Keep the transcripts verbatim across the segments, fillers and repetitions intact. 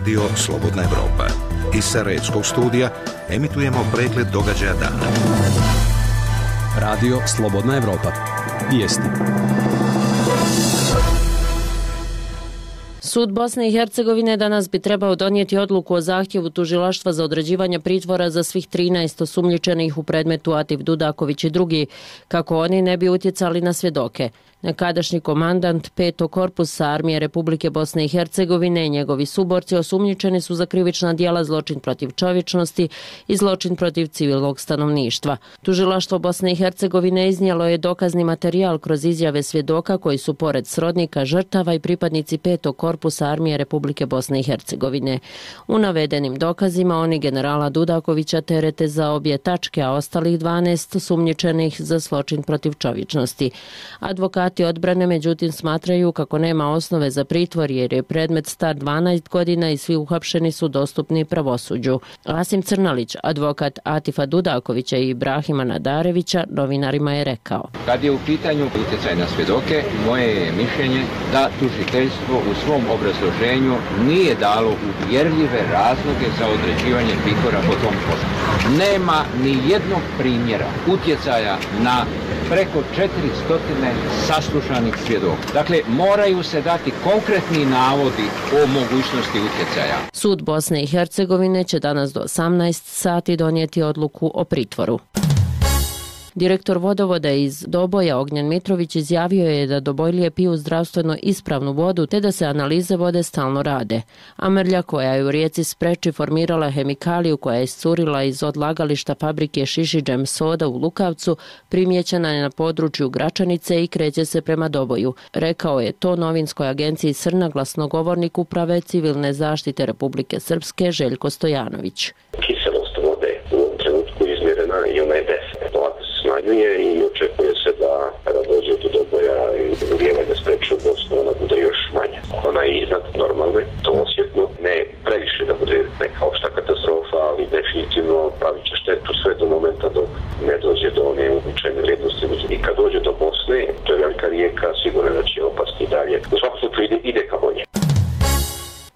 Radio Slobodna Evropa. Iz Sarajevskog studija emitujemo pregled događaja dana. Radio Slobodna Evropa. Vijesti. Sud Bosne i Hercegovine danas bi trebao donijeti odluku o zahtjevu tužilaštva za određivanje pritvora za svih trinaest osumnjičenih u predmetu Atif Dudaković i drugi, kako oni ne bi utjecali na svjedoke. Nekadašnji komandant petog korpusa Armije Republike Bosne i Hercegovine i njegovi suborci osumnjičeni su za krivična djela zločin protiv čovječnosti i zločin protiv civilnog stanovništva. Tužilaštvo Bosne i Hercegovine iznijelo je dokazni materijal kroz izjave svjedoka koji su pored srodnika žrtava i pripadnici petog korpusa Armije Republike Bosne i Hercegovine. U navedenim dokazima oni generala Dudakovića terete za obje tačke, a ostalih dvanaest osumnjičenih za zločin protiv čovječnosti. Advokati odbrane međutim smatraju kako nema osnove za pritvor jer je predmet star dvanaest godina i svi uhapšeni su dostupni pravosuđu. Asim Crnalić, advokat Atifa Dudakovića i Ibrahima Nadarevića, novinarima je rekao: Kad je u pitanju utjecaj na svjedoke, moje je mišljenje da tužiteljstvo u svom obrazloženju nije dalo uvjerljive razloge za određivanje pritvora po tom postupku. Nema ni jednog primjera utjecaja na preko četiristo saslušanih svjedoka. Dakle, moraju se dati konkretni navodi o mogućnosti utjecaja. Sud Bosne i Hercegovine će danas do osamnaest sati donijeti odluku o pritvoru. Direktor vodovoda iz Doboja Ognjen Mitrović izjavio je da Dobojlije piju zdravstveno ispravnu vodu te da se analize vode stalno rade. A mrlja koja je u rijeci Spreči formirala hemikaliju koja je iscurila iz odlagališta fabrike Šišidžem soda u Lukavcu primijećena je na području Gračanice i kreće se prema Doboju. Rekao je to novinskoj agenciji Srna glasnogovornik Uprave civilne zaštite Republike Srpske Željko Stojanović. Kiselost vode u ovom trenutku izmjerena i ona je deset. Smanjuje i očekuje se da kada dođe do Doboja i ulijevanja Spreče u Bosnu, ona bude još manja. Ona je iznad normalne, to osjetno, ne previše da bude neka opšta katastrofa, ali definitivno pravit će štetu sve do momenta dok ne dođe do one uobičajene vrijednosti. I kad dođe do Bosne, to je velika rijeka, sigurno da će opasti dalje. U svakom slučaju ide, ide ka bolje.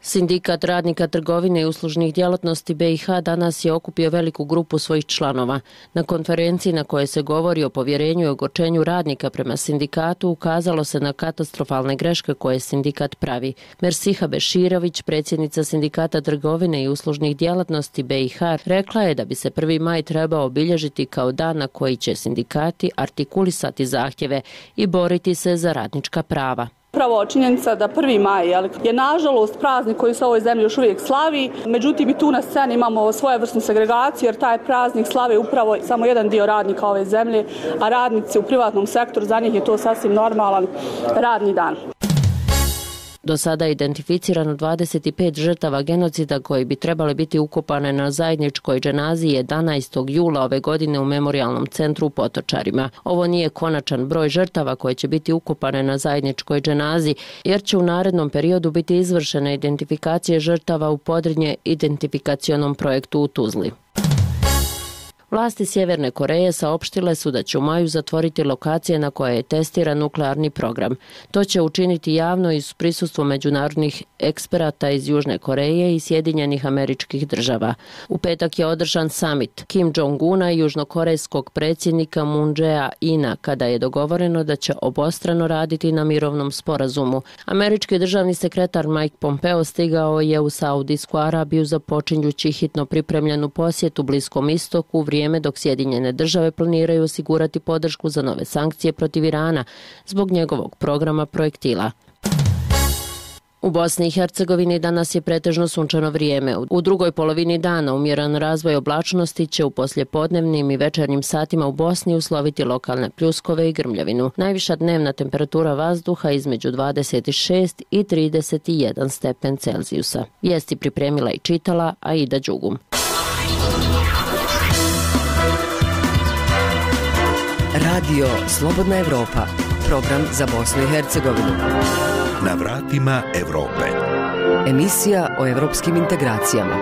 Sindikat radnika trgovine i uslužnih djelatnosti B i H danas je okupio veliku grupu svojih članova. Na konferenciji na kojoj se govori o povjerenju i ogorčenju radnika prema sindikatu ukazalo se na katastrofalne greške koje sindikat pravi. Mersiha Beširović, predsjednica Sindikata trgovine i uslužnih djelatnosti B i H, rekla je da bi se prvi maj trebao obilježiti kao dan na koji će sindikati artikulisati zahtjeve i boriti se za radnička prava. Upravo činjenica da prvi maj je nažalost praznik koji se u ovoj zemlji još uvijek slavi, međutim i tu na sceni imamo svojevrsnu segregaciju jer taj praznik slave upravo samo jedan dio radnika ove zemlje, a radnici u privatnom sektoru, za njih je to sasvim normalan radni dan. Do sada je identificirano dvadeset pet žrtava genocida koji bi trebale biti ukopane na zajedničkoj dženazi jedanaestog jula ove godine u memorijalnom centru u Potočarima. Ovo nije konačan broj žrtava koje će biti ukopane na zajedničkoj dženazi, jer će u narednom periodu biti izvršene identifikacije žrtava u Podrinje identifikacionom projektu u Tuzli. Vlasti Sjeverne Koreje saopštile su da će u maju zatvoriti lokacije na koje je testiran nuklearni program. To će učiniti javno i uz prisustvo međunarodnih eksperata iz Južne Koreje i Sjedinjenih Američkih Država. U petak je održan summit Kim Jong-una i južnokorejskog predsjednika Moon Jae-ina kada je dogovoreno da će obostrano raditi na mirovnom sporazumu. Američki državni sekretar Mike Pompeo stigao je u Saudijsku Arabiju započinjući hitno pripremljenu posjetu Bliskom istoku u vrijeme dok Sjedinjene Države planiraju osigurati podršku za nove sankcije protiv Irana zbog njegovog programa projektila. U Bosni i Hercegovini danas je pretežno sunčano vrijeme. U drugoj polovini dana umjeran razvoj oblačnosti će u poslijepodnevnim i večernjim satima u Bosni usloviti lokalne pljuskove i grmljavinu. Najviša dnevna temperatura vazduha između dvadeset šest i trideset jedan stepen Celzijusa. Vijesti pripremila i čitala Aida Đugum. Radio Slobodna Evropa, program za Bosnu i Hercegovinu. Na vratima Evrope. Emisija o evropskim integracijama.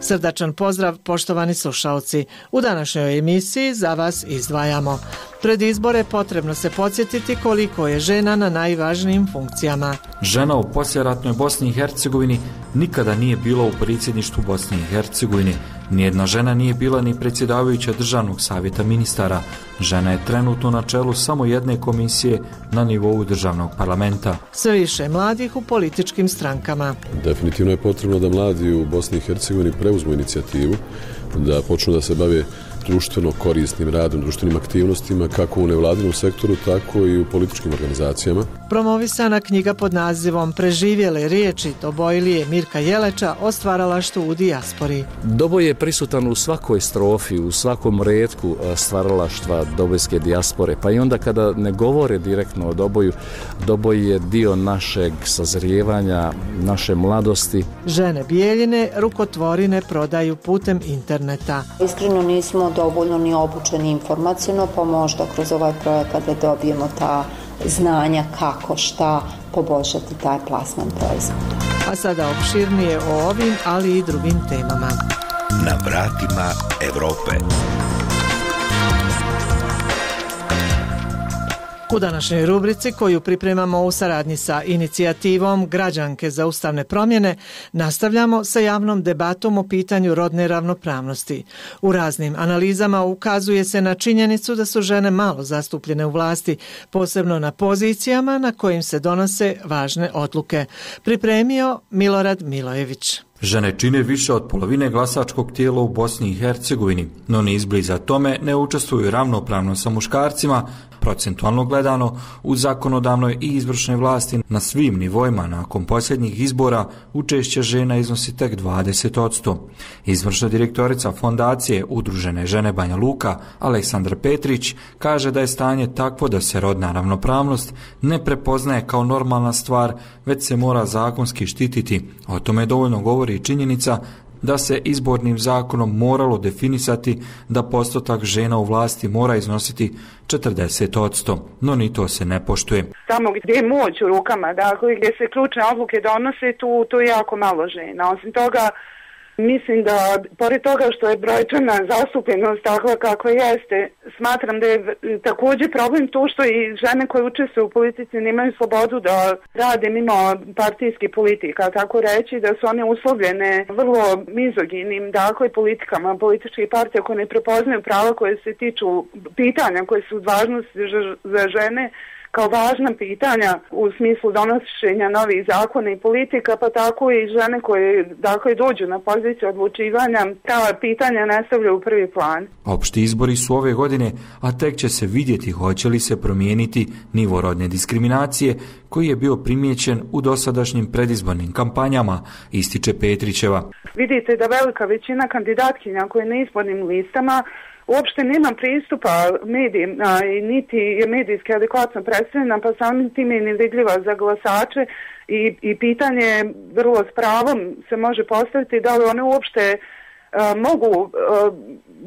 Srdačan pozdrav, poštovani slušaoci. U današnjoj emisiji za vas izdvajamo. Pred izbore potrebno se podsjetiti koliko je žena na najvažnijim funkcijama. Žena u poslijeratnoj Bosni i Hercegovini nikada nije bila u predsjedništvu Bosne i Hercegovine. Nijedna žena nije bila ni predsjedavajuća Državnog savjeta ministara. Žena je trenutno na čelu samo jedne komisije na nivou državnog parlamenta. Sve više mladih u političkim strankama. Definitivno je potrebno da mladi u Bosni i Hercegovini preuzmu inicijativu, da počnu da se bave društveno korisnim radom, društvenim aktivnostima kako u nevladinom sektoru, tako i u političkim organizacijama. Promovisana knjiga pod nazivom Preživjele riječi Dobojlije Mirka Jeleča o stvaralaštvu u dijaspori. Doboj je prisutan u svakoj strofi, u svakom retku stvaralaštva dobojske dijaspore, pa i onda kada ne govore direktno o Doboju, Doboj je dio našeg sazrijevanja, naše mladosti. Žene Bijeljine rukotvorine prodaju putem interneta. Iskreno nismo dovoljno ni obučeni informacijno, pa možda kroz ovaj projekat da dobijemo ta znanja kako, šta poboljšati taj plasman proizvoda. A sada opširnije o ovim, ali i drugim temama. Na vratima Evrope. U današnjoj rubrici koju pripremamo u saradnji sa inicijativom Građanke za ustavne promjene nastavljamo sa javnom debatom o pitanju rodne ravnopravnosti. U raznim analizama ukazuje se na činjenicu da su žene malo zastupljene u vlasti, posebno na pozicijama na kojim se donose važne odluke. Pripremio Milorad Milojević. Žene čine više od polovine glasačkog tijela u Bosni i Hercegovini, no ni izbliza tome ne učestvuju ravnopravno sa muškarcima, procentualno gledano u zakonodavnoj i izvršnoj vlasti na svim nivoima. Nakon posljednjih izbora učešće žena iznosi tek dvadeset posto. Izvršna direktorica fondacije Udružene žene Banja Luka, Aleksandra Petrić, kaže da je stanje takvo da se rodna ravnopravnost ne prepoznaje kao normalna stvar, već se mora zakonski štititi. O tome dovoljno govori i činjenica da se izbornim zakonom moralo definisati da postotak žena u vlasti mora iznositi četrdeset posto, no ni to se ne poštuje. Tamo gdje je moć u rukama, dakle gdje se ključne odluke donose, tu, tu je jako malo žena. Osim toga, mislim da, pored toga što je brojčana zastupljenost takva kakva jeste, smatram da je također problem to što i žene koje učestvuju u politici nemaju slobodu da rade mimo partijskih politika, tako reći da su one uslovljene vrlo mizoginim, dakle, politikama političkih partija koje ne prepoznaju prava koje se tiču pitanja koje su važnosti za žene, kao važna pitanja u smislu donošenja novih zakona i politika, pa tako i žene koje dakle dođu na poziciju odlučivanja, ta pitanja ne stavljaju u prvi plan. Opšti izbori su ove godine, a tek će se vidjeti hoće li se promijeniti nivo rodne diskriminacije koji je bio primijećen u dosadašnjim predizbornim kampanjama, ističe Petrićeva. Vidite da velika većina kandidatkinja koje na izbornim listama uopšte nema pristupa medijima i niti je medijski adekvatno predstavljena, pa samim tim je nevidljiva za glasače i, i pitanje vrlo s pravom se može postaviti da li one uopšte a, mogu a,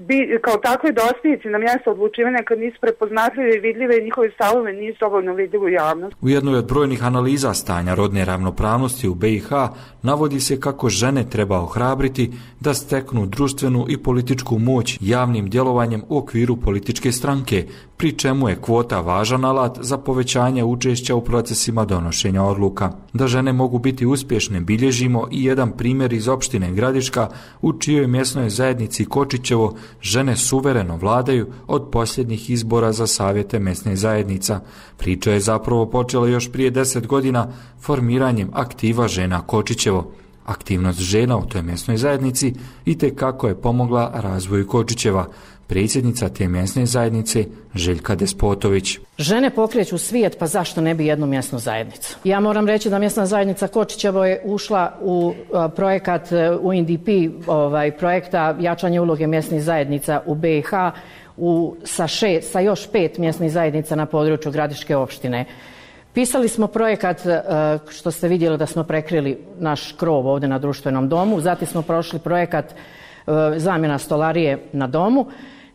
bi, kao takve dostići na mjesto odlučivanja kad nisu prepoznatljive i vidljive i njihove stavove nisu dovoljno vidljive u javnosti. U jednoj od brojnih analiza stanja rodne ravnopravnosti u B i H navodi se kako žene treba ohrabriti da steknu društvenu i političku moć javnim djelovanjem u okviru političke stranke, pri čemu je kvota važan alat za povećanje učešća u procesima donošenja odluka. Da žene mogu biti uspješne bilježimo i jedan primjer iz opštine Gradiška u čijoj mjesnoj zajednici Kočićevo žene suvereno vladaju od posljednjih izbora za savjete mjesne zajednica. Priča je zapravo počela još prije deset godina formiranjem aktiva žena Kočićevo. Aktivnost žena u toj mjesnoj zajednici itekako je pomogla razvoju Kočićeva. Predsjednica te mjesne zajednice Željka Despotović. Žene pokreću svijet, pa zašto ne bi jednu mjesnu zajednicu? Ja moram reći da mjesna zajednica Kočićevo je ušla u a, projekat U N D P, ovaj, projekta jačanje uloge mjesnih zajednica u B i H u, sa, še, sa još pet mjesnih zajednica na području Gradiške opštine. Pisali smo projekat, što ste vidjeli da smo prekrili naš krov ovdje na društvenom domu, zatim smo prošli projekat zamjena stolarije na domu,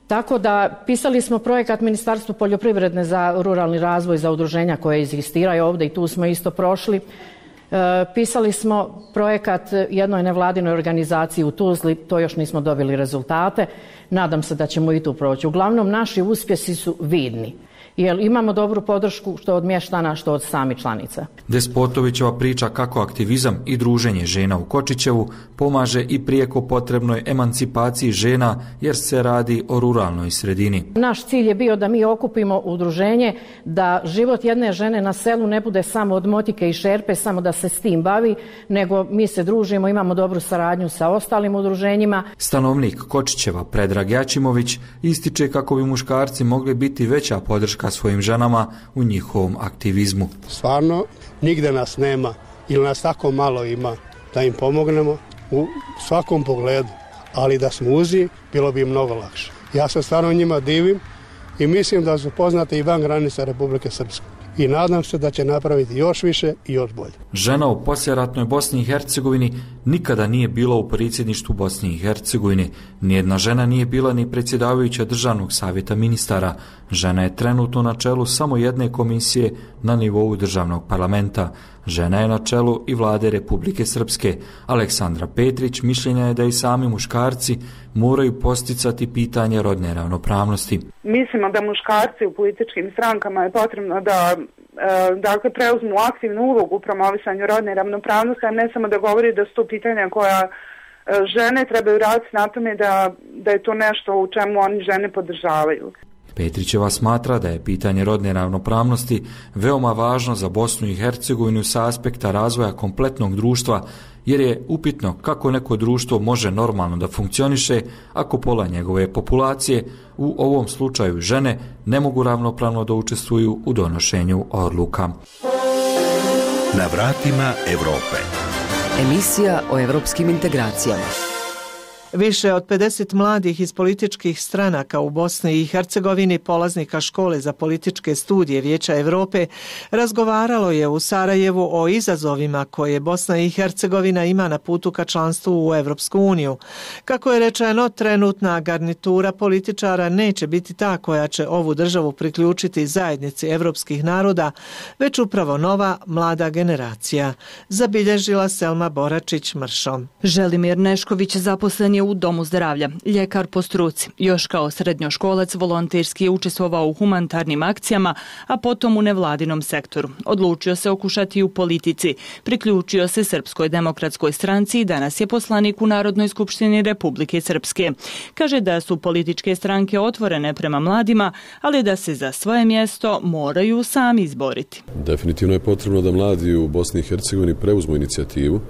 tako da pisali smo projekat Ministarstvu poljoprivredne za ruralni razvoj, za udruženja koje egzistiraju ovdje i tu smo isto prošli. Pisali smo projekat jednoj nevladinoj organizaciji u Tuzli, to još nismo dobili rezultate. Nadam se da ćemo i tu proći. Uglavnom, naši uspjesi su vidni. Jer imamo dobru podršku što od mještana, što od samih članica. Despotovićeva priča kako aktivizam i druženje žena u Kočićevu pomaže i prijeko potrebnoj emancipaciji žena jer se radi o ruralnoj sredini. Naš cilj je bio da mi okupimo udruženje, da život jedne žene na selu ne bude samo od motike i šerpe, samo da se s tim bavi, nego mi se družimo, imamo dobru saradnju sa ostalim udruženjima. Stanovnik Kočićeva Predrag Jačimović ističe kako bi muškarci mogli biti veća podrška svojim ženama u njihovom aktivizmu. Stvarno, nigde nas nema ili nas tako malo ima da im pomognemo u svakom pogledu, ali da smo uzi, bilo bi im mnogo lakše. Ja se stvarno njima divim i mislim da su poznate i van granica Republike Srpske. I nadam se da će napraviti još više i još bolje. Žena u poslijeratnoj Bosni i Hercegovini nikada nije bila u predsjedništvu Bosne i Hercegovine. Nijedna žena nije bila ni predsjedavajuća Državnog savjeta ministara. Žena je trenutno na čelu samo jedne komisije na nivou državnog parlamenta. Žena je na čelu i vlade Republike Srpske. Aleksandra Petrić mišljenja je da i sami muškarci moraju posticati pitanje rodne ravnopravnosti. Mislimo da muškarci u političkim strankama je potrebno da dakle, preuzmu aktivnu ulogu u promovisanju rodne ravnopravnosti, a ne samo da govori da su to pitanja koja žene trebaju raditi na tome da, da je to nešto u čemu oni žene podržavaju. Petrićeva smatra da je pitanje rodne ravnopravnosti veoma važno za Bosnu i Hercegovinu sa aspekta razvoja kompletnog društva, jer je upitno kako neko društvo može normalno da funkcioniše ako pola njegove populacije, u ovom slučaju žene, ne mogu ravnopravno da učestvuju u donošenju odluka. Na vratima Evrope. Emisija o evropskim integracijama. Više od pedeset mladih iz političkih stranaka u Bosni i Hercegovini, polaznika škole za političke studije Vijeća Europe, razgovaralo je u Sarajevu o izazovima koje Bosna i Hercegovina ima na putu ka članstvu u Evropsku uniju. Kako je rečeno, trenutna garnitura političara neće biti ta koja će ovu državu priključiti zajednici evropskih naroda, već upravo nova mlada generacija, zabilježila Selma Boračić-Mršom. Želimir Nešković zaposlen je u Domu zdravlja, ljekar po struci. Još kao srednjoškolac volonterski je učestvovao u humanitarnim akcijama, a potom u nevladinom sektoru. Odlučio se okušati u politici. Priključio se Srpskoj demokratskoj stranci i danas je poslanik u Narodnoj skupštini Republike Srpske. Kaže da su političke stranke otvorene prema mladima, ali da se za svoje mjesto moraju sami izboriti. Definitivno je potrebno da mladi u Bosni i Hercegovini preuzmu inicijativu,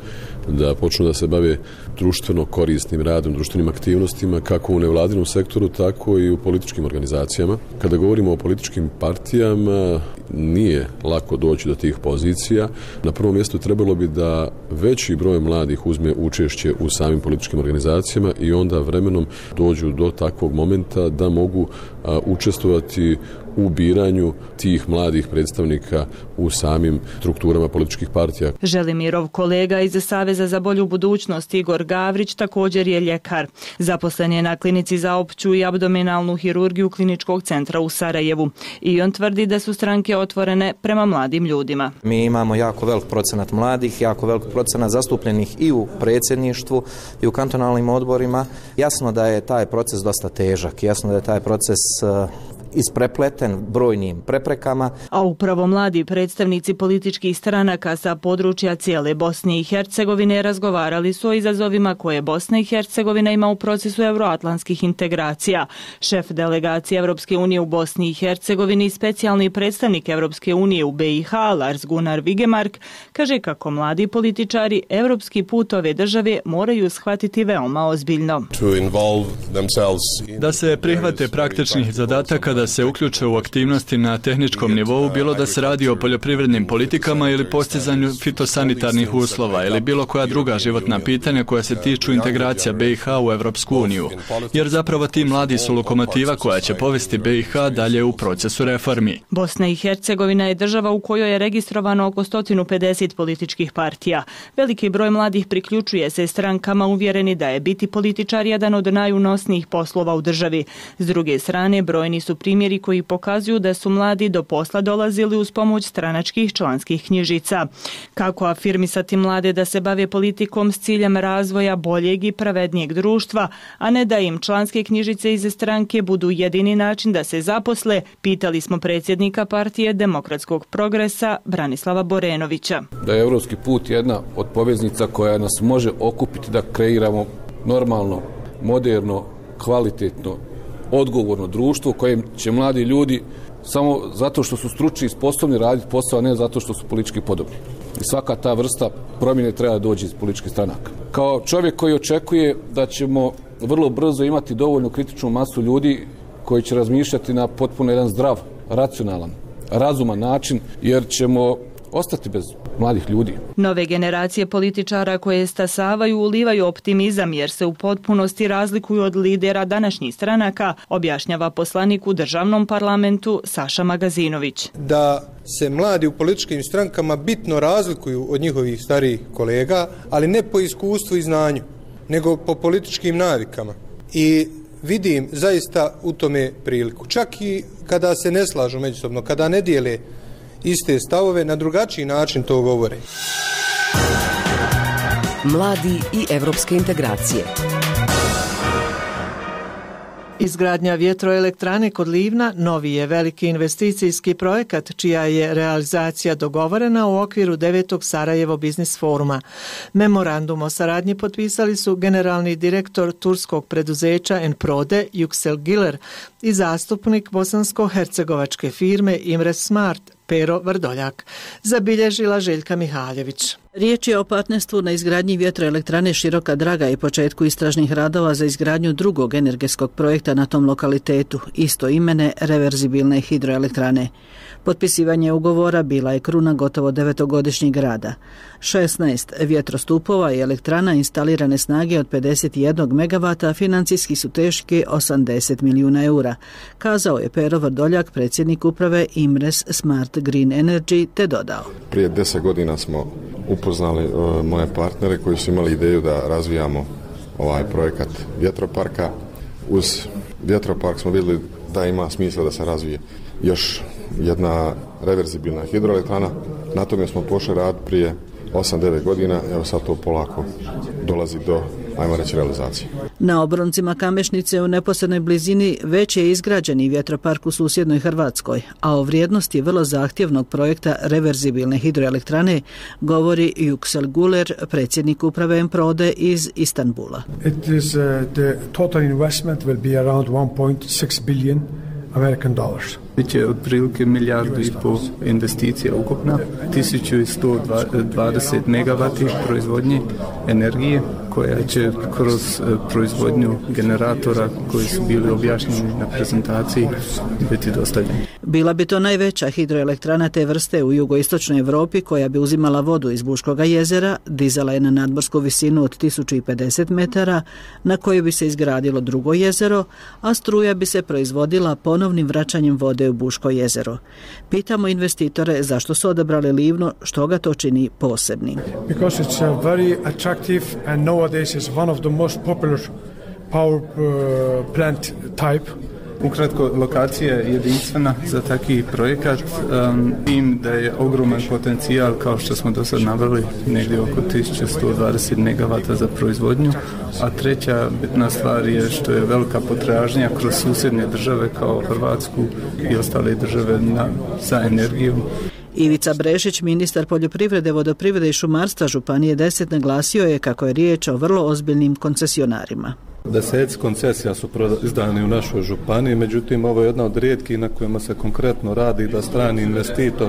da počnu da se bave društveno korisnim radom, društvenim aktivnostima, kako u nevladinom sektoru, tako i u političkim organizacijama. Kada govorimo o političkim partijama, nije lako doći do tih pozicija. Na prvom mjestu trebalo bi da veći broj mladih uzme učešće u samim političkim organizacijama i onda vremenom dođu do takvog momenta da mogu a, učestvovati u biranju tih mladih predstavnika u samim strukturama političkih partija. Želimirov kolega iz Saveza za bolju budućnost Igor Gavrić također je ljekar. Zaposlen je na klinici za opću i abdominalnu hirurgiju Kliničkog centra u Sarajevu. I on tvrdi da su stranke otvorene prema mladim ljudima. Mi imamo jako velik procenat mladih, jako velik procenat zastupljenih i u predsjedništvu i u kantonalnim odborima. Jasno da je taj proces dosta težak, jasno da je taj proces isprepleten brojnim preprekama. A upravo mladi predstavnici političkih stranaka sa područja cijele Bosne i Hercegovine razgovarali su o izazovima koje Bosna i Hercegovina ima u procesu euroatlantskih integracija. Šef delegacije Evropske unije u Bosni i Hercegovini i specijalni predstavnik Evropske unije u B i H, Lars Gunnar Vigemark, kaže kako mladi političari evropski put ove države moraju shvatiti veoma ozbiljno. Da se prihvate praktičnih zadataka, da se uključe u aktivnosti na tehničkom nivou, bilo da se radi o poljoprivrednim politikama ili postizanju fitosanitarnih uslova ili bilo koja druga životna pitanja koja se tiču integracija B i H u Evropsku uniju. Jer zapravo ti mladi su lokomotiva koja će povesti B i H dalje u procesu reformi. Bosna i Hercegovina je država u kojoj je registrovano oko sto pedeset političkih partija. Veliki broj mladih priključuje se strankama uvjereni da je biti političar jedan od najunosnijih poslova u državi. S druge strane, brojni su primjeri koji pokazuju da su mladi do posla dolazili uz pomoć stranačkih članskih knjižica. Kako afirmisati mlade da se bave politikom s ciljem razvoja boljeg i pravednijeg društva, a ne da im članske knjižice iz stranke budu jedini način da se zaposle, pitali smo predsjednika partije Demokratskog progresa Branislava Borenovića. Da je evropski put jedna od poveznica koja nas može okupiti da kreiramo normalno, moderno, kvalitetno, odgovorno društvo u kojem će mladi ljudi samo zato što su stručni i sposobni raditi posao, a ne zato što su politički podobni. I svaka ta vrsta promjene treba doći iz političkih stranaka. Kao čovjek koji očekuje da ćemo vrlo brzo imati dovoljnu kritičnu masu ljudi koji će razmišljati na potpuno jedan zdrav, racionalan, razuman način, jer ćemo ostati bez mladih ljudi. Nove generacije političara koje stasavaju ulivaju optimizam jer se u potpunosti razlikuju od lidera današnjih stranaka, objašnjava poslanik u državnom parlamentu Saša Magazinović. Da se mladi u političkim strankama bitno razlikuju od njihovih starijih kolega, ali ne po iskustvu i znanju, nego po političkim navikama. I vidim zaista u tome priliku. Čak i kada se ne slažu međusobno, kada ne dijele iste stavove, na drugačiji način to govore. Mladi i evropske integracije. Izgradnja vjetroelektrane kod Livna novi je veliki investicijski projekat čija je realizacija dogovorena u okviru devetog Sarajevo biznis foruma. Memorandum o saradnji potpisali su generalni direktor turskog preduzeća Enprode Yüksel Güler i zastupnik bosansko-hercegovačke firme Imres Smart Pero Vrdoljak, zabilježila Željka Mihaljević. Riječ je o partnerstvu na izgradnji vjetroelektrane Široka Draga i početku istražnih radova za izgradnju drugog energetskog projekta na tom lokalitetu, isto imene reverzibilne hidroelektrane. Potpisivanje ugovora bila je kruna gotovo devetogodišnjeg rada. šesnaest vjetrostupova i elektrana instalirane snage od pedeset jedan megavata financijski su teški osamdeset milijuna eura, kazao je Pero Vrdoljak, predsjednik uprave Imres Smart Green Energy, te dodao. Prije deset godina smo upoznali uh, moje partnere koji su imali ideju da razvijamo ovaj projekat vjetroparka. Uz vjetropark smo vidjeli da ima smisla da se razvije još jedna reverzibilna hidroelektrana. Na tome smo pošli rad prije osam devet godina, evo sad to polako dolazi do, ajmo reći, realizacije. Na obroncima Kamešnice u neposrednoj blizini već je izgrađeni vjetropark u susjednoj Hrvatskoj, a o vrijednosti vrlo zahtjevnog projekta reverzibilne hidroelektrane govori Yüksel Güler, predsjednik uprave Enprode iz Istanbula. It is, uh, the total investment will be around one point six billion American dollars. Biće otprilike milijardu i pol investicija ukupna, tisuću sto dvadeset megavati proizvodnje energije koja će kroz proizvodnju generatora koji su bili objašnjeni na prezentaciji biti dostavljeni. Bila bi to najveća hidroelektrana te vrste u jugoistočnoj Europi koja bi uzimala vodu iz Buškoga jezera, dizala je na nadmorsku visinu od tisuću pedeset metara na kojoj bi se izgradilo drugo jezero, a struja bi se proizvodila ponovnim vraćanjem vode u Buško jezero. Pitamo investitore zašto su odabrali Livno, što ga to čini posebnim. Because it's a very attractive and nowadays is one of the most popular power uh, plant type. Ukratko, lokacija je jedinstvena za takvi projekat, um, im da je ogroman potencijal, kao što smo do sad naveli, negdje oko tisuću sto dvadeset megavata za proizvodnju, a treća bitna stvar je što je velika potražnja kroz susjedne države kao Hrvatsku i ostale države na, za energijom. Ivica Brešić, ministar poljoprivrede, vodoprivrede i šumarstva Županije deset, naglasio je kako je riječ o vrlo ozbiljnim koncesionarima. Deseci koncesija su izdani u našoj županiji, međutim ovo je jedna od rijetkih na kojima se konkretno radi da strani investitor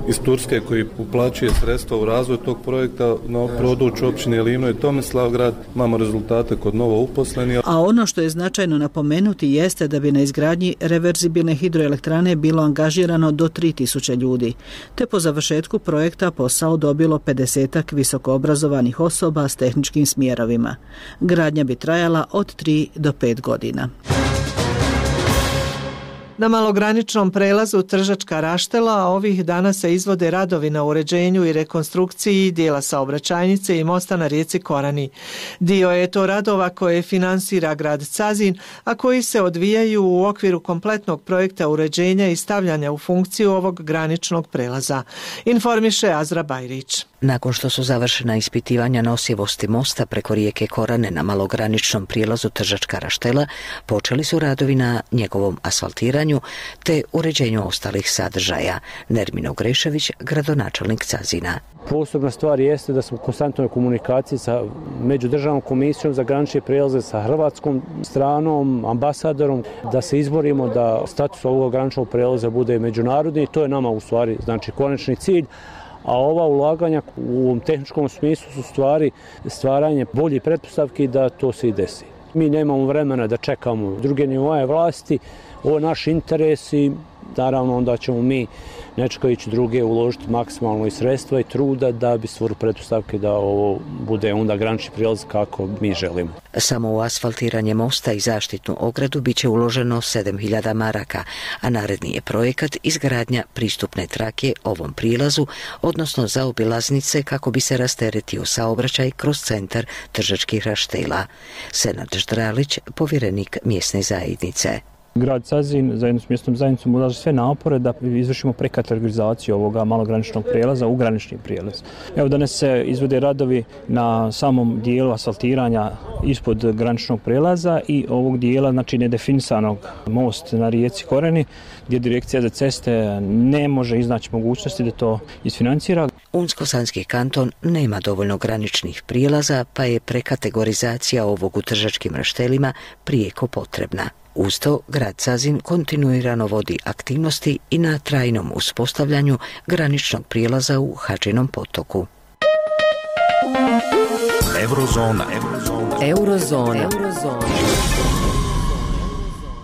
iz Turske koji uplaćuje sredstva u razvoj tog projekta na području općine Livno i Tomislavgrad imamo rezultate kod novo uposlenih. A ono što je značajno napomenuti jeste da bi na izgradnji reverzibilne hidroelektrane bilo angažirano do tri tisuće ljudi, te po završetku projekta posao dobilo pedesetak visokoobrazovanih osoba s tehničkim smjerovima. Gradnja bi trajala od tri do pet godina. Na malograničnom prelazu Tržačka Raštela ovih dana se izvode radovi na uređenju i rekonstrukciji dijela saobraćajnice i mosta na rijeci Korani. Dio je to radova koje finansira grad Cazin, a koji se odvijaju u okviru kompletnog projekta uređenja i stavljanja u funkciju ovog graničnog prelaza. Informiše Azra Bajrić. Nakon što su završena ispitivanja nosivosti mosta preko rijeke Korane na malograničnom prijelazu Tržačka Raštela, počeli su radovi na njegovom asfaltiranju te uređenju ostalih sadržaja. Nermino Grešević, gradonačelnik Cazina. Posebna stvar jeste da smo u konstantnoj komunikaciji sa Međudržavnom komisijom za granične prijelaze, sa hrvatskom stranom, ambasadorom, da se izborimo da status ovog graničnog prijelaza bude međunarodni i to je nama u stvari znači konačni cilj. A ova ulaganja u ovom tehničkom smislu su stvari stvaranje boljih pretpostavki da to se i desi. Mi nemamo vremena da čekamo druge nivoe vlasti, ovo je naš interes i naravno onda ćemo mi, ne čekajući druge, uložiti maksimalno i sredstva i truda da bi stvorili pretpostavke da ovo bude onda granični prijelaz kako mi želimo. Samo u asfaltiranje mosta i zaštitnu ogradu bit će uloženo sedam hiljada maraka, a naredni je projekat izgradnja pristupne trake ovom prilazu, odnosno zaobilaznice kako bi se rasteretio saobraćaj kroz centar Tržačkih Raštela. Senad Ždralić, povjerenik mjesne zajednice. Grad Cazin zajedno s mjesnom zajednicom ulaže sve napore da izvršimo prekategorizaciju ovoga malograničnog prijelaza u granični prijelaz. Evo danas se izvode radovi na samom dijelu asfaltiranja ispod graničnog prijelaza i ovog dijela, znači nedefinisanog most na rijeci Koreni, gdje Direkcija za ceste ne može iznaći mogućnosti da to isfinancira. Unsko-Sanski kanton nema dovoljno graničnih prijelaza, pa je prekategorizacija ovog u Tržačkim Raštelima prijeko potrebna. Uz to, grad Cazin kontinuirano vodi aktivnosti i na trajnom uspostavljanju graničnog prijelaza u Hadžinom potoku. Eurozona. Eurozona. Eurozona.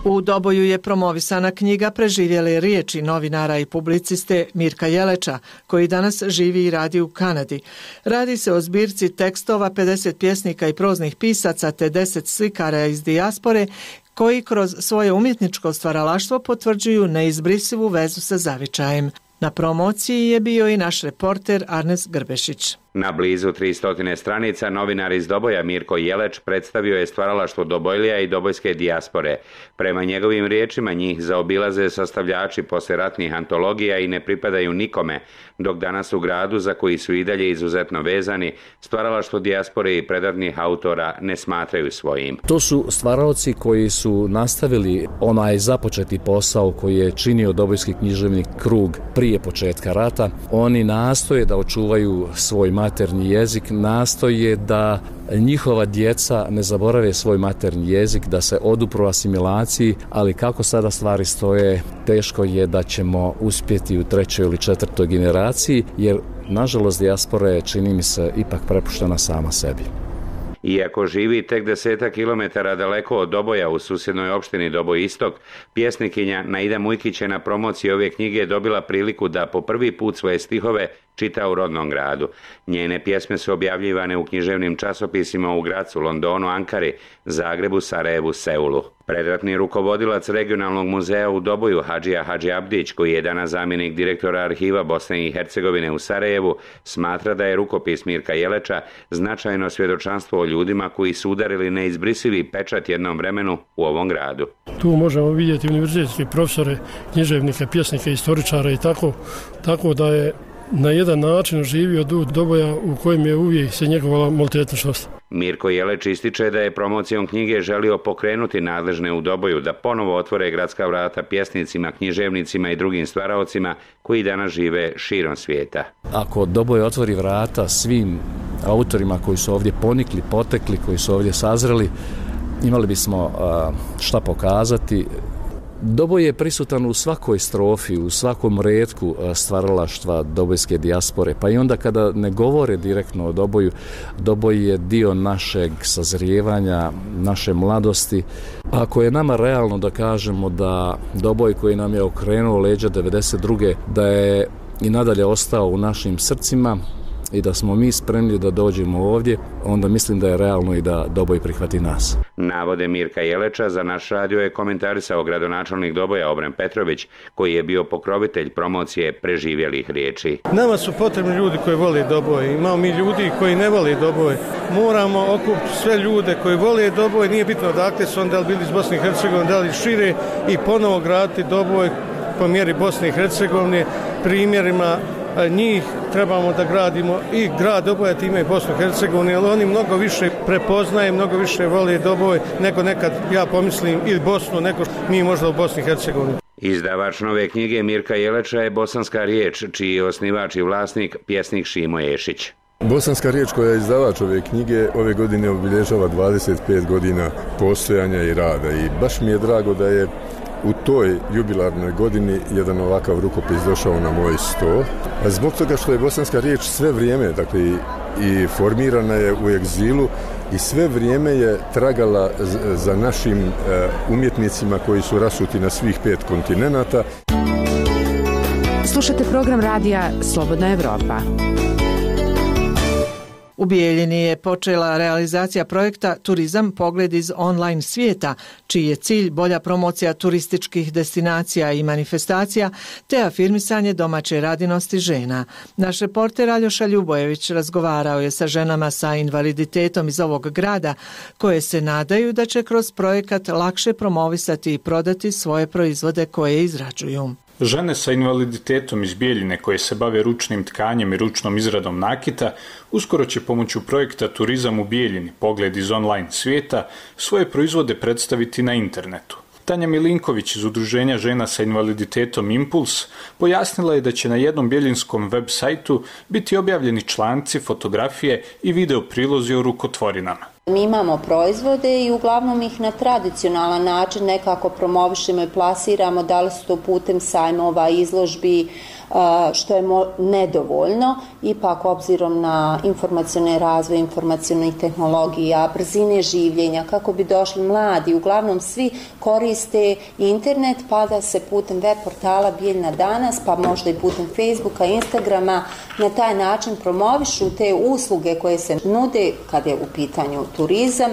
U Doboju je promovisana knjiga Preživjele riječi novinara i publiciste Mirka Jeleča, koji danas živi i radi u Kanadi. Radi se o zbirci tekstova pedeset pjesnika i proznih pisaca te deset slikara iz dijaspore koji kroz svoje umjetničko stvaralaštvo potvrđuju neizbrisivu vezu sa zavičajem. Na promociji je bio i naš reporter Arnes Grbešić. Na blizu tristo stranica novinar iz Doboja Mirko Jeleć predstavio je stvaralaštvo Dobojlija i dobojske dijaspore. Prema njegovim riječima njih zaobilaze sastavljači poslijeratnih antologija i ne pripadaju nikome, dok danas u gradu za koji su i dalje izuzetno vezani, stvaralaštvo dijaspore i predatnih autora ne smatraju svojim. To su stvaralci koji su nastavili onaj započeti posao koji je činio Dobojski književni krug prije početka rata. Oni nastoje da očuvaju svoj maternji jezik, nastoje da njihova djeca ne zaborave svoj maternji jezik, da se odupru asimilaciji, ali kako sada stvari stoje, teško je da ćemo uspjeti u trećoj ili četvrtoj generaciji, jer nažalost dijaspora je, čini mi se, ipak prepuštena sama sebi. Iako živi tek desetak kilometara daleko od Doboja u susjednoj opštini Doboj Istok, pjesnikinja Naida Mujkić je na promociji ove knjige dobila priliku da po prvi put svoje stihove čita u rodnom gradu. Njene pjesme su objavljivane u književnim časopisima u Gracu, Londonu, Ankari, Zagrebu, Sarajevu, Seulu. Predratni rukovodilac regionalnog muzeja u Doboju, Hadžija Hadži Abdić, koji je danas zamjenik direktora arhiva Bosne i Hercegovine u Sarajevu, smatra da je rukopis Mirka Jeleča značajno svjedočanstvo o ljudima koji su udarili neizbrisivi pečat jednom vremenu u ovom gradu. Tu možemo vidjeti univerzitetske profesore, književnike, pjesnike, istoričara i tako, tako da je na jedan način živio duh Doboja u kojem je uvijek se njegovala multietničnost. Mirko Jeleć ističe da je promocijom knjige želio pokrenuti nadležne u Doboju da ponovo otvore gradska vrata pjesnicima, književnicima i drugim stvaraocima koji danas žive širom svijeta. Ako Doboj otvori vrata svim autorima koji su ovdje ponikli, potekli, koji su ovdje sazreli, imali bismo šta pokazati. Doboj je prisutan u svakoj strofi, u svakom retku stvaralaštva dobojske dijaspore, pa i onda kada ne govore direktno o Doboju, Doboj je dio našeg sazrijevanja, naše mladosti. Ako je nama realno da kažemo da Doboj koji nam je okrenuo leđa devedeset druge da je i nadalje ostao u našim srcima, i da smo mi spremni da dođemo ovdje, onda mislim da je realno i da Doboj prihvati nas. Navode Mirka Jeleča za naš radio je komentarisao gradonačelnik Doboja Obren Petrović, koji je bio pokrovitelj promocije preživjelih riječi. Nama su potrebni ljudi koji vole Doboj, imamo mi ljudi koji ne vole Doboj. Moramo okupiti sve ljude koji vole Doboj, nije bitno odakle su, da li bili iz Bosne i Hercegovine, da li šire, i ponovo graditi Doboj po mjeri Bosne i Hercegovine, primjerima njih trebamo da gradimo i grad Doboja time i Bosnu i Hercegovinu, jer oni mnogo više prepoznaje, mnogo više vole Doboj nego nekad, ja pomislim, ili Bosnu, nego mi možda u Bosni i Hercegovini. Izdavač nove knjige Mirka Jeleča je Bosanska riječ, čiji je osnivač i vlasnik pjesnik Šimo Ješić. Bosanska riječ koja je izdavač ove knjige ove godine obilježava dvadeset pet godina postojanja i rada i baš mi je drago da je u toj jubilarnoj godini jedan ovakav rukopis došao na moj sto. A zbog toga što je bosanska riječ sve vrijeme, dakle i, i formirana je u egzilu i sve vrijeme je tragala z, za našim uh, umjetnicima koji su rasuti na svih pet kontinenata. Slušate program radija Slobodna Evropa. U Bijeljini je počela realizacija projekta Turizam pogled iz online svijeta, čiji je cilj bolja promocija turističkih destinacija i manifestacija te afirmisanje domaće radinosti žena. Naš reporter Aljoša Ljubojević razgovarao je sa ženama sa invaliditetom iz ovog grada koje se nadaju da će kroz projekat lakše promovisati i prodati svoje proizvode koje izrađuju. Žene sa invaliditetom iz Bijeljine koje se bave ručnim tkanjem i ručnom izradom nakita uskoro će pomoću projekta Turizam u Bijeljini pogled iz online svijeta svoje proizvode predstaviti na internetu. Tanja Milinković iz Udruženja žena sa invaliditetom Impuls pojasnila je da će na jednom bijeljinskom web sajtu biti objavljeni članci, fotografije i video prilozi o rukotvorinama. Mi imamo proizvode i uglavnom ih na tradicionalan način nekako promovišemo i plasiramo, da li su to putem sajmova, izložbi, što je nedovoljno. Ipak, obzirom na informacione razvoj, informacionih tehnologija, brzine življenja, kako bi došli mladi, uglavnom svi koriste internet, pa da se putem web portala Bijeljina danas, pa možda i putem Facebooka, Instagrama, na taj način promovišu te usluge koje se nude kada je u pitanju turizam,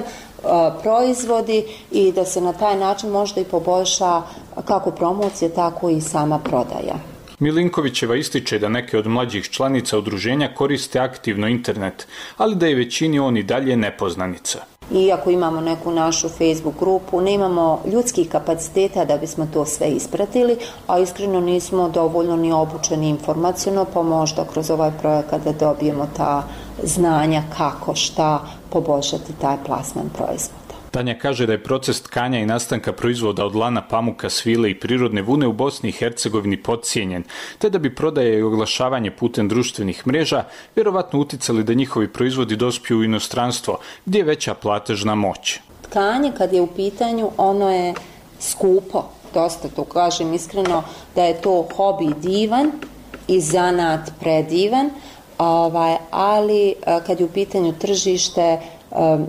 proizvodi i da se na taj način možda i poboljša kako promocija, tako i sama prodaja. Milinkovićeva ističe da neke od mlađih članica udruženja koriste aktivno internet, ali da je većini on i dalje nepoznanica. Iako imamo neku našu Facebook grupu, nemamo ljudskih kapaciteta da bismo to sve ispratili, a iskreno nismo dovoljno ni obučeni informaciono, pa možda kroz ovaj projekat da dobijemo ta znanja kako, šta poboljšati taj plasman proizvoda. Tanja kaže da je proces tkanja i nastanka proizvoda od lana, pamuka, svile i prirodne vune u Bosni i Hercegovini podcijenjen, te da bi prodaja i oglašavanje putem društvenih mreža vjerovatno uticali da njihovi proizvodi dospiju u inostranstvo, gdje je veća platežna moć. Tkanje kad je u pitanju, ono je skupo, dosta to kažem iskreno, da je to hobi divan i zanat predivan, ovaj, ali kad je u pitanju tržište, um,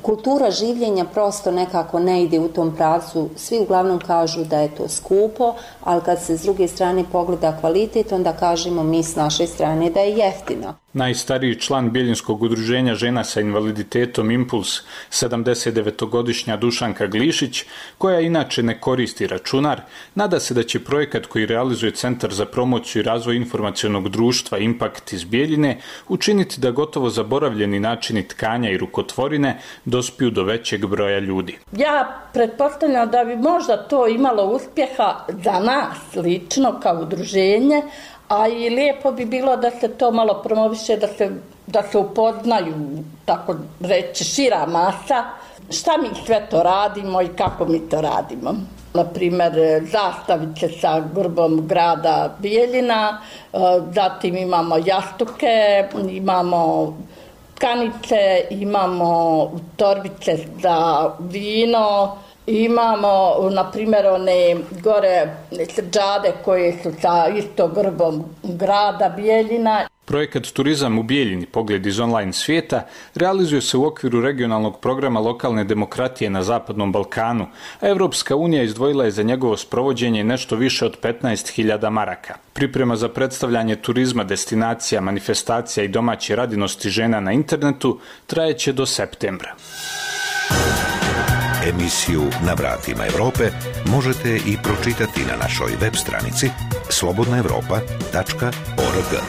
kultura življenja prosto nekako ne ide u tom pravcu. Svi uglavnom kažu da je to skupo, ali kad se s druge strane pogleda kvalitet, onda kažemo mi s naše strane da je jeftino. Najstariji član Bijeljinskog udruženja žena sa invaliditetom Impuls, sedamdesetdevetogodišnja Dušanka Glišić, koja inače ne koristi računar, nada se da će projekat koji realizuje Centar za promociju i razvoj informacionog društva Impact iz Bijeljine učiniti da gotovo zaboravljeni načini tkanja i rukotvorine dospiju do većeg broja ljudi. Ja pretpostavljam da bi možda to imalo uspjeha za nas lično kao udruženje, a i lijepo bi bilo da se to malo promoviše, da se, da se upoznaju, tako reći, šira masa, šta mi sve to radimo i kako mi to radimo. Naprimjer, zastavice sa grbom grada Bijeljina, zatim imamo jastuke, imamo tkanice, imamo torbice za vino, imamo, na primjer, one gore srđade koje su sa isto grbom grada Bijeljina. Projekat Turizam u Bijeljini, pogled iz online svijeta, realizuje se u okviru regionalnog programa lokalne demokratije na Zapadnom Balkanu, a Evropska unija izdvojila je za njegovo sprovođenje nešto više od petnaest hiljada maraka. Priprema za predstavljanje turizma, destinacija, manifestacija i domaće radinosti žena na internetu trajeće do septembra. Emisiju Na vratima Europe možete i pročitati na našoj web stranici slobodna europa tačka org.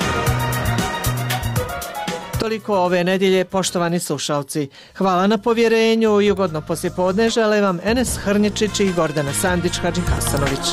Toliko ove nedjelje, poštovani slušalci. Hvala na povjerenju i ugodno poslijepodne žele vam Enes Hrnječić i Gordana Sandić Hadžihasanović.